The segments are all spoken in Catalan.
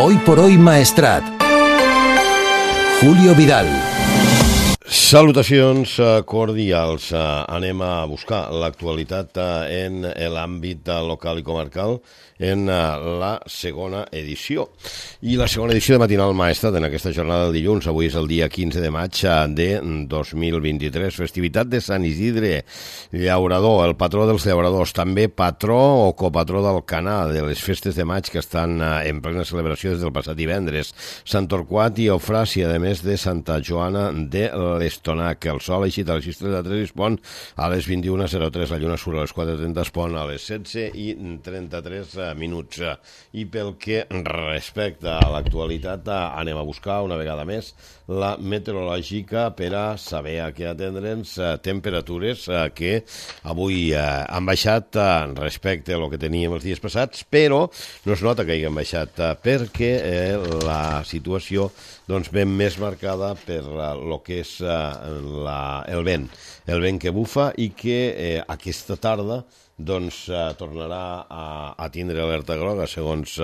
Hoy por hoy Maestrat. Julio Vidal. Salutacions cordials. Anem a buscar l'actualitat en l'àmbit local i comarcal en la segona edició. I la segona edició de Matinal Maestrat en aquesta jornada del dilluns. Avui és el dia 15 de maig de 2023. Festivitat de Sant Isidre, llaurador, el patró dels llauradors, també patró o copatró d'Alcanar, de les festes de maig que estan en plena celebració des del passat divendres. Sant Torquat i Eufràsia, a més de Santa Joana de l'Estonac. El sol eixit a les 6:33 es pon a les 21:03. La lluna surt a les 4:30, es pon a les 16:33 minuts. I pel que respecta a l'actualitat, anem a buscar una vegada més la meteorològica per a saber a què atendre'ns. Temperatures que avui han baixat respecte a lo que teníem els dies passats, però no es nota que hagin baixat perquè la situació ben més marcada per lo que és el vent que bufa i que aquesta tarda tornarà a tindre alerta groga, segons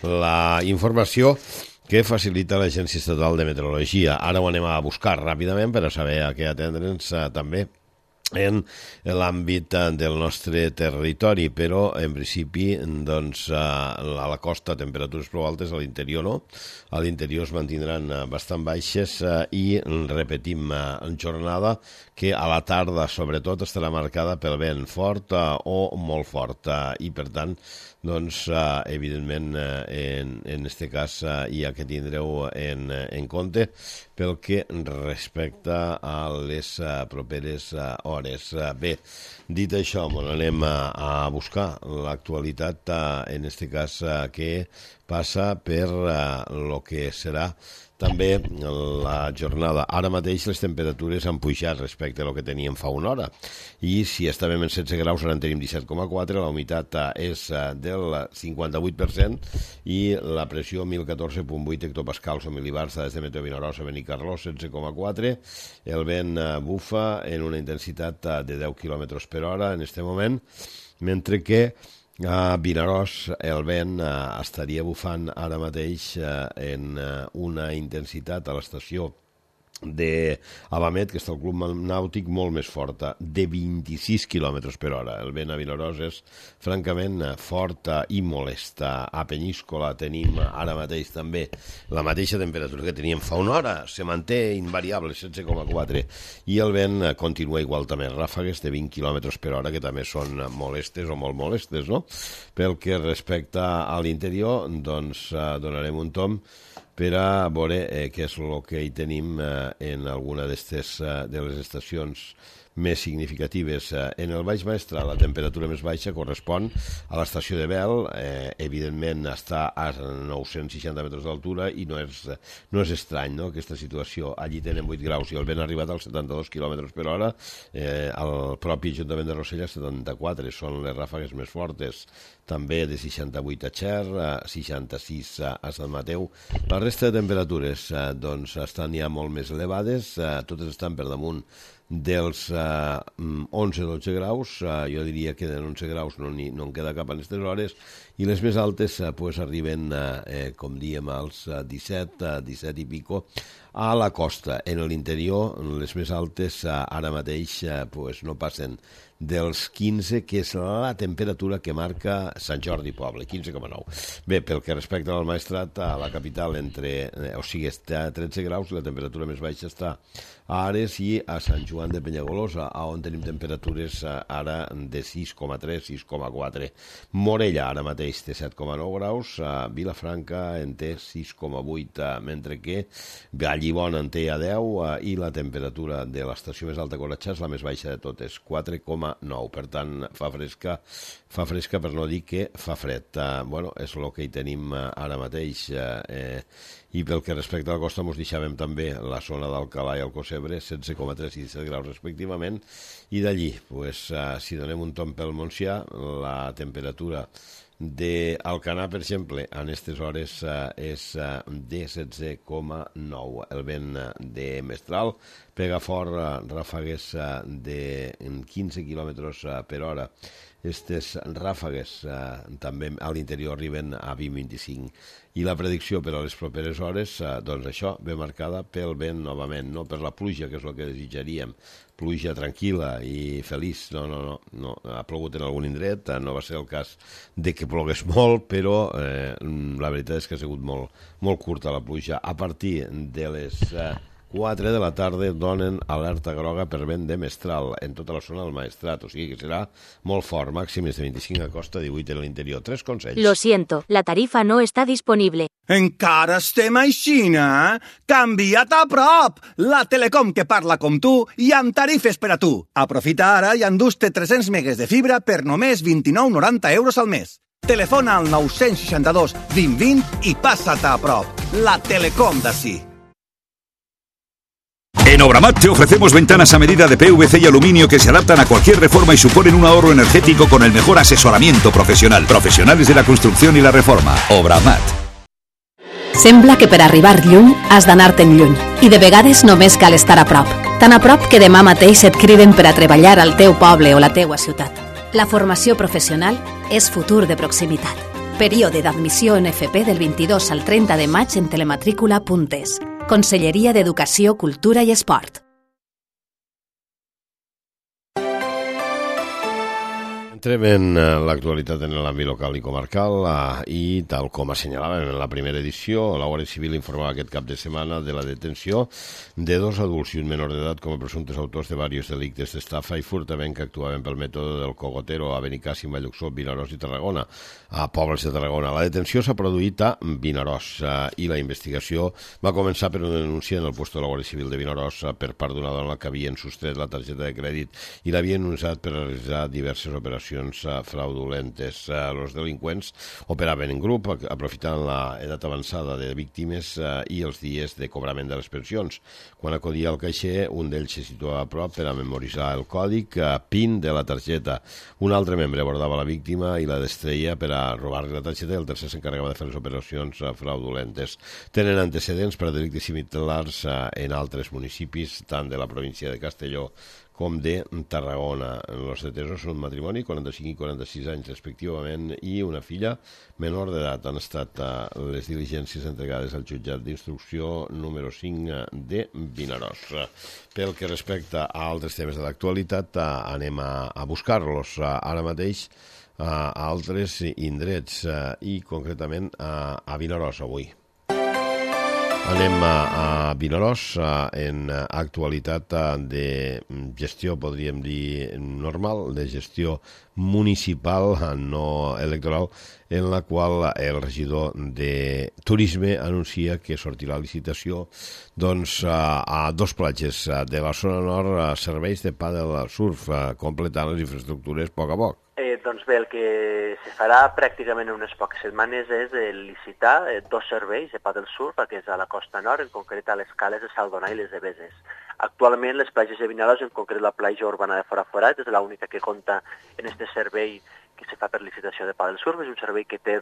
la informació que facilita l'Agència Estatal de Meteorologia. Ara ho anem a buscar ràpidament per a saber a què atendre'ns també en l'àmbit del nostre territori, però en principi a la costa temperatures prou altes, a l'interior no, a l'interior es mantindran bastant baixes i repetim en jornada que a la tarda sobretot estarà marcada pel vent fort o molt fort i per tant evidentment en este cas hi ha que tindreu en compte pel que respecta a les properes hores. Bé, dit això, anem a buscar l'actualitat, en este cas que passa per lo que serà també la jornada. Ara mateix les temperatures han pujat respecte a lo que teníem fa una hora i si estàvem en 16 graus ara en tenim 17,4, la humitat és del 58% i la pressió 1014,8 hectopascals o milibars des de Meteo Vinaròs a Benicarló, 16,4. El vent bufa en una intensitat de 10 km per hora en aquest moment, mentre que a Vinaròs el vent estaria bufant ara mateix en una intensitat a l'estació d'Abamet, que està el Club Nàutic, molt més forta, de 26 km per hora. El vent a Vinaròs és francament fort i molest. A Penyíscola tenim ara mateix també la mateixa temperatura que teníem fa una hora, se manté invariable, 16,4, i el vent continua igual també, ràfegues de 20 km per hora, que també són molestes o molt molestes, no? Pel que respecta a l'interior, donarem un tom per a veure què és el que hi tenim en alguna de les estacions més significatives. En el Baix Maestrat la temperatura més baixa correspon a l'estació de Bel, evidentment està a 960 metres d'altura i no és estrany, no?, aquesta situació. Allí tenen 8 graus i el vent ha arribat als 72 km per hora, al propi Ajuntament de Rosselló 74, són les ràfegues més fortes, també de 68 a Xer, 66 a Sant Mateu. La resta de temperatures estan ja molt més elevades, totes estan per damunt dels 11-12 graus, jo diria que en 11 graus no en queda cap a aquestes hores, i les més altes arriben, com diem, als 17 i pico a la costa. En l'interior, les més altes ara mateix no passen dels 15, que és la temperatura que marca Sant Jordi Poble, 15,9. Bé, pel que respecta al Maestrat, a la capital està a 13 graus, la temperatura més baixa està a Ares i a Sant Joan de Penyagolosa, on tenim temperatures ara de 6,3, 6,4. Morella ara mateix té 7,9 graus, Vilafranca en té 6,8, mentre que Vallibona en té a 10 i la temperatura de l'estació més alta Corretxà és la més baixa de totes, 4,9. Per tant, fa fresca per no dir que fa fred. És el que hi tenim ara mateix. I pel que respecta a la costa, ens deixàvem també la zona d'Alcalà i Alcossebre, 16,3 i 17 graus respectivament, i d'allí, si donem un tomb pel Montsià, la temperatura d'Alcanar, per exemple, en aquestes hores és de 16,9. El vent de Mestral pega fort, ràfegues de 15 km per hora aquestes ràfegues també a l'interior arriben a 20-25. I la predicció per a les properes hores, doncs això, ve marcada pel vent novament, no per la pluja, que és el que desitjaríem. Pluja tranquil·la i feliç. No. Ha plogut en algun indret, no va ser el cas de que plogués molt, però la veritat és que ha sigut molt curta la pluja. A partir de les 4 de la tarda donen alerta groga per vent de mestral en tota la zona del Maestrat, o sigui que serà molt fort, màximes de 25 a costa, 18 en l'interior. 3 consells. Lo siento, la tarifa no está disponible. Encara estem aixina? Canvia't a prop! La Telecom que parla com tu i amb tarifes per a tu. Aprofita ara i endús-te 300 megues de fibra per només 29,90 euros al mes. Telefona al 962 20 20 i passa't a prop. La Telecom d'ací. En Obramat te ofrecemos ventanas a medida de PVC y aluminio que se adaptan a cualquier reforma y suponen un ahorro energético con el mejor asesoramiento profesional. Profesionales de la construcción y la reforma. Obramat. Sembla que per arribar lluny has d'anar-te'n lluny i de vegades només cal estar a prop. Tan a prop que demà mateix et criden per a treballar al teu poble o la teua ciutat. La formació professional és futur de proximitat. Període d'admissió en FP del 22 al 30 de maig en telematrícula.es. Conselleria d'Educació, Cultura i Esport. Entrem en l'actualitat en l'àmbit local i comarcal i, tal com assenyalàvem en la primera edició, la Guàrdia Civil informava aquest cap de setmana de la detenció de 2 adults i un menor d'edat com a presumptes autors de diversos delictes d'estafa i furtament que actuaven pel mètode del cogotero a Benicàssim, Valluxó, Vinaròs i Tarragona, a pobles de Tarragona. La detenció s'ha produït a Vinaròs i la investigació va començar per una denúncia en el lloc de la Guàrdia Civil de Vinaròs per part d'una dona que havien sostret la targeta de crèdit i l'havien usat per realitzar diverses operacions fraudulentes. Els delinqüents operaven en grup, aprofitant l'edat avançada de víctimes i els dies de cobrament de les pensions. Quan acudia al caixer, un d'ells se situava a prop per a memoritzar el còdic PIN de la targeta. Un altre membre abordava la víctima i la distreia per a robar-li la targeta i el tercer s'encarregava de fer les operacions fraudulentes. Tenen antecedents per a delictes similars en altres municipis, tant de la província de Castelló com de Tarragona. Els detesos són un matrimoni, 45 i 46 anys respectivament, i una filla menor d'edat. Han estat les diligències entregades al jutjat d'instrucció número 5 de Vinaròs. Pel que respecta a altres temes de l'actualitat, anem a buscar-los ara mateix a altres indrets i concretament a Vinaròs avui. Anem a Vinaròs en actualitat de gestió, podríem dir, normal, de gestió municipal, no electoral, en la qual el regidor de Turisme anuncia que sortirà la licitació a 2 platges de la zona nord serveis de pàdel surf, completant les infraestructures a poc a poc. Doncs bé, el que se farà pràcticament en unes poques setmanes és licitar 2 serveis de pàdel surf, que és a la costa nord, en concret a les cales de Saldonà i les de Beses. Actualment les platges de Vinaròs, en concret la platja urbana de Foraforat, és l'única que compta en aquest servei que se fa per licitació de pàdel surf. És un servei que té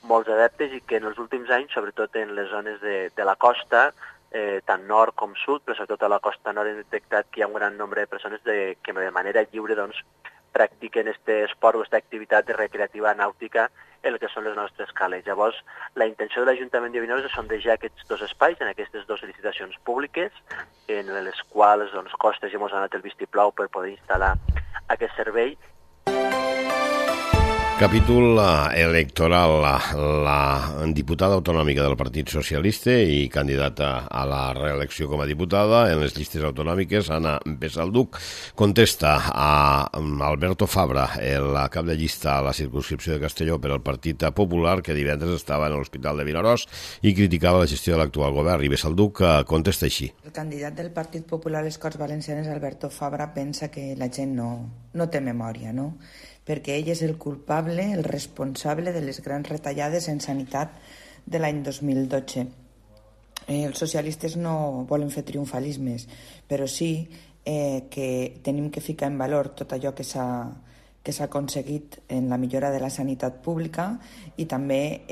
molts adeptes i que en els últims anys, sobretot en les zones de la costa, tant nord com sud, però sobretot a la costa nord hem detectat que hi ha un gran nombre de persones que de manera lliure practiquen aquest esport o aquesta activitat recreativa nàutica en el que són les nostres cales. Llavors, la intenció de l'Ajuntament de Vinaròs és sondejar aquests 2 espais en aquestes 2 licitacions públiques, en les quals Costes ja ens ha donat el vistiplau per poder instal·lar aquest servei. Capítol electoral. La diputada autonòmica del Partit Socialista i candidata a la reelecció com a diputada en les llistes autonòmiques, Anna Besalduc, contesta a Alberto Fabra, el cap de llista a la circumscripció de Castelló per al Partit Popular, que divendres estava en l'Hospital de Vinaròs i criticava la gestió de l'actual govern. I Besalduc contesta així. El candidat del Partit Popular a les Corts Valencianes, Alberto Fabra, pensa que la gent no té memòria, no? Perquè ell és el culpable, el responsable de les grans retallades en sanitat de l'any 2012. Els socialistes no volen fer triomfalismes, però sí que tenim que ficar en valor tot allò que s'ha aconseguit en la millora de la sanitat pública i també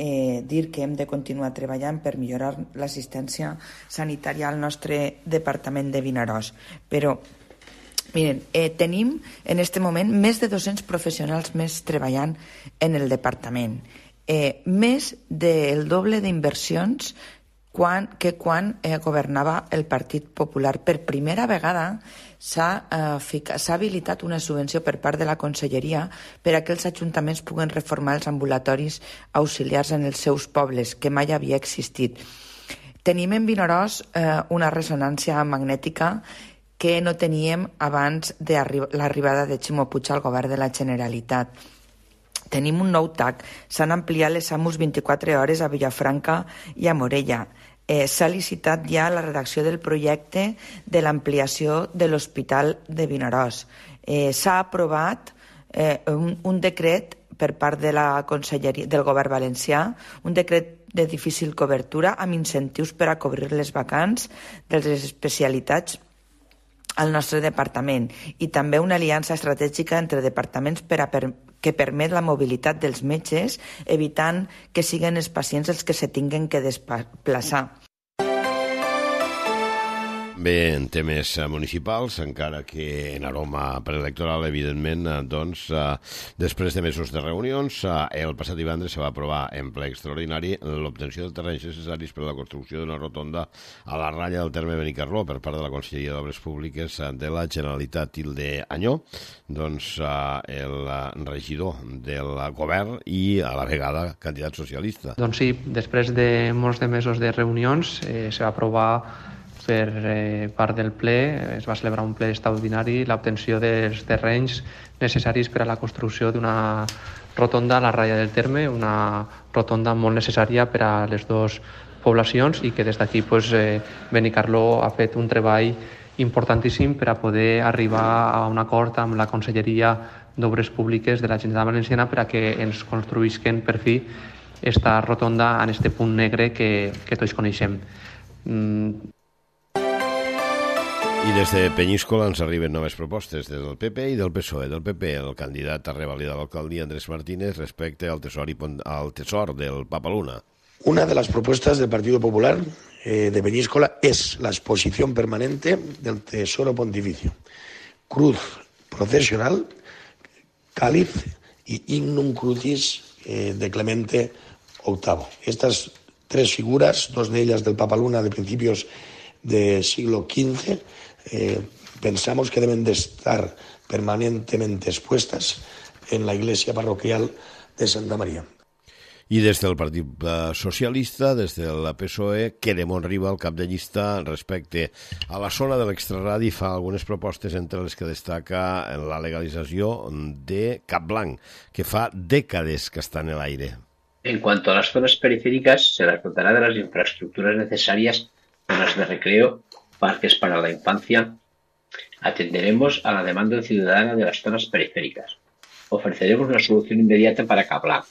dir que hem de continuar treballant per millorar l'assistència sanitària al nostre departament de Vinaròs. Però Miren, tenim en aquest moment més de 200 professionals més treballant en el departament. Més del doble d'inversions que quan governava el Partit Popular. Per primera vegada s'ha habilitat una subvenció per part de la Conselleria per a que els ajuntaments puguen reformar els ambulatoris auxiliars en els seus pobles, que mai havia existit. Tenim en Vinaròs una ressonància magnètica que no teníem abans de l'arribada de Ximo Puig al govern de la Generalitat. Tenim un nou TAC, s'han ampliat les SAMUs 24 hores a Vilafranca i a Morella. S'ha licitat ja la redacció del projecte de l'ampliació de l'Hospital de Vinaròs. S'ha aprovat un decret per part de la Conselleria del Govern Valencià, un decret de difícil cobertura amb incentius per a cobrir les vacants de les especialitats al nostre departament i també una aliança estratègica entre departaments que permet la mobilitat dels metges, evitant que siguin els pacients els que se tinguen que desplaçar. Bé, en temes municipals, encara que en aroma preelectoral, evidentment, doncs, després de mesos de reunions, el passat divendres se va aprovar en ple extraordinari l'obtenció de terrenys necessaris per a la construcció d'una rotonda a la ratlla del terme Benicarló per part de la Conselleria d'Obres Públiques de la Generalitat. Tilde Anyó, doncs, el regidor del govern i a la vegada candidat socialista. Doncs sí, després de molts de mesos de reunions se va aprovar per part del ple, es va celebrar un ple extraordinari, l'obtenció dels terrenys necessaris per a la construcció d'una rotonda a la ratlla del terme, una rotonda molt necessària per a les dues poblacions i que des d'aquí Benicarló ha fet un treball importantíssim per a poder arribar a un acord amb la Conselleria d'Obres Públiques de la Generalitat Valenciana per a que ens construïsquen per fi esta rotonda en este punt negre que tots coneixem. I des de Penyíscola ens arriben noves propostes del PP i del PSOE. Del PP, el candidat a revalidar l'alcaldia, Andrés Martínez, respecte al tesor del Papaluna. Una de las propuestas del Partido Popular de Peñíscola es la exposición permanente del Tesoro Pontificio, cruz procesional, cáliz y Ignum Crucis de Clemente VIII. Estas tres figuras, dos de ellas del Papaluna de principios del siglo XV, pensamos que deben de estar permanentemente expuestas en la iglesia parroquial de Santa María. I des del Partit Socialista, des del PSOE, Queremont Riba, el cap de llista, respecte a la zona de l'extraradi, fa algunes propostes entre les que destaca la legalització de Capblanc, que fa dècades que està en l'aire. En cuanto a las zonas periféricas, se las dotará de las infraestructuras necesarias, zonas de recreo, parques para la infancia. Atenderemos a la demanda ciudadana de las zonas periféricas. Ofreceremos una solución inmediata para Capblanc.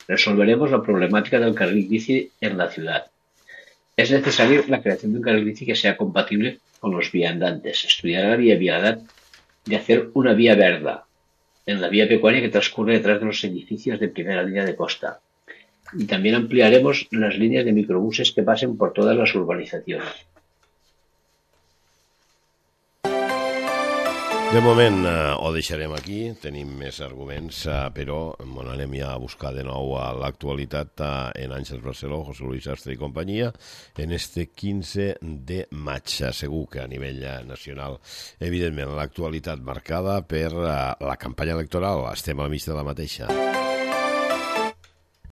Resolveremos la problemática del carril bici en la ciudad. Es necesaria la creación de un carril bici que sea compatible con los viandantes. Estudiar la viabilidad de hacer una vía verde en la vía pecuaria que transcurre detrás de los edificios de primera línea de costa. Y también ampliaremos las líneas de microbuses que pasen por todas las urbanizaciones. De moment ho deixarem aquí, tenim més arguments, però anem ja a buscar de nou a l'actualitat en Àngels Barceló, José Luis Sastre i companyia, en este 15 de maig. Segur que a nivell nacional, evidentment, l'actualitat marcada per la campanya electoral, estem al mig de la mateixa.